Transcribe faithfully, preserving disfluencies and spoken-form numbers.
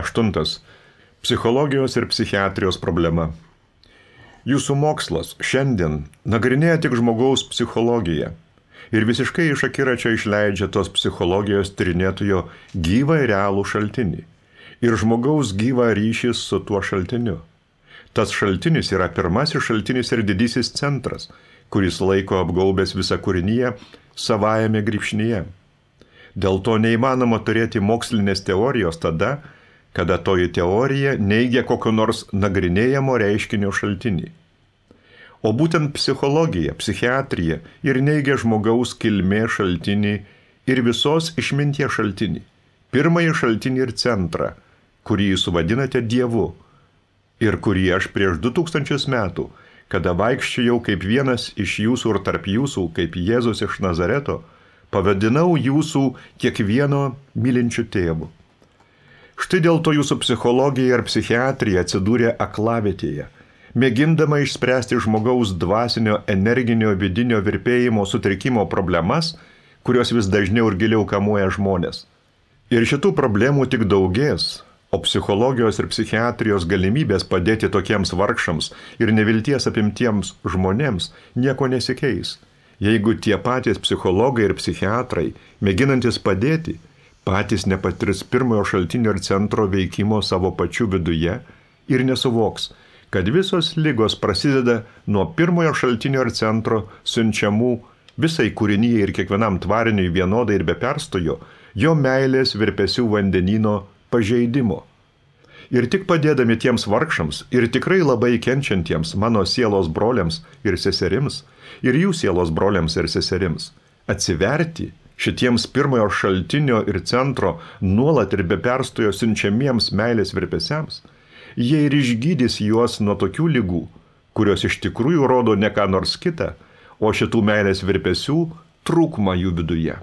Aštuntas. Psichologijos ir psichiatrijos problema. Jūsų mokslas šiandien nagrinėja tik žmogaus psichologiją ir visiškai iš akiračio išleidžia tos psichologijos tyrinėtojo gyvą ir realų šaltinį ir žmogaus gyvą ryšį su tuo šaltiniu. Tas šaltinis yra pirmasis šaltinis ir didysis centras, kuris laiko apgaubęs visą kūrinyje savajame grybšnyje. Dėl to neįmanoma turėti mokslinės teorijos tada, kada toji teorija neigia kokio nors nagrinėjamo reiškinio šaltinį. O būtent psichologija, psichiatrija ir neigia žmogaus kilmė šaltinį ir visos išminties šaltinį, pirmąjį šaltinį ir centrą, kurį jūs vadinate Dievu ir kurį aš prieš du tūkstančius metų, kada vaikščiojau kaip vienas iš jūsų ir tarp jūsų, kaip Jėzus iš Nazareto, pavadinau jūsų kiekvieno mylinčių tėvų. Štai dėl to jūsų psichologija ir psichiatrija atsidūrė aklavietėje, mėgindama išspręsti žmogaus dvasinio, energinio, vidinio virpėjimo sutrikimo problemas, kurios vis dažniau ir giliau kamuoja žmonės. Ir šitų problemų tik daugės, o psichologijos ir psichiatrijos galimybės padėti tokiems vargšams ir nevilties apimtiems žmonėms nieko nesikeis, jeigu tie patys psichologai ir psichiatrai, mėginantis padėti, patys nepatirs pirmojo šaltinio ir centro veikimo savo pačių viduje ir nesuvoks, kad visos ligos prasideda nuo pirmojo šaltinio ir centro siunčiamų visai kūrinyje ir kiekvienam tvariniui vienodai ir be perstojo jo meilės virpesių vandenyno pažeidimo. Ir tik padėdami tiems vargšams ir tikrai labai kenčiantiems mano sielos broliams ir seserims ir jų sielos broliams ir seserims atsiverti šitiems pirmojo šaltinio ir centro nuolat ir be perstojo siunčiamiems meilės virpesiams, jie ir išgydys juos nuo tokių ligų, kurios iš tikrųjų rodo ne ką nors kitą, o šitų meilės virpesių trūkumą jų viduje.